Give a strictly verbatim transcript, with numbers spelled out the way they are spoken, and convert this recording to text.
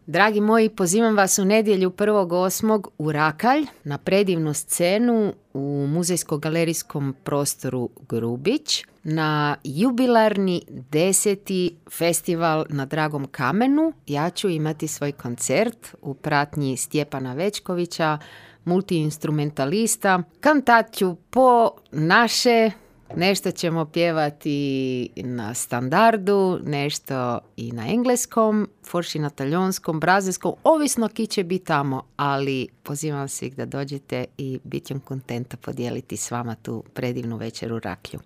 Dragi moji, pozivam vas u nedjelju prvog osmog u Rakalj na predivnu scenu u muzejsko-galerijskom prostoru Grubić na jubilarni deseti festival na Dragom kamenu. Ja ću imati svoj koncert u pratnji Stjepana Večkovića, multiinstrumentalista. Kantat ću po naše, nešto ćemo pjevati na standardu, nešto i na engleskom, forši na talijanskom, brazilskom, ovisno ki će biti tamo, ali pozivam svih da dođete i bit ćem kontenta podijeliti s vama tu predivnu večer u Raklju.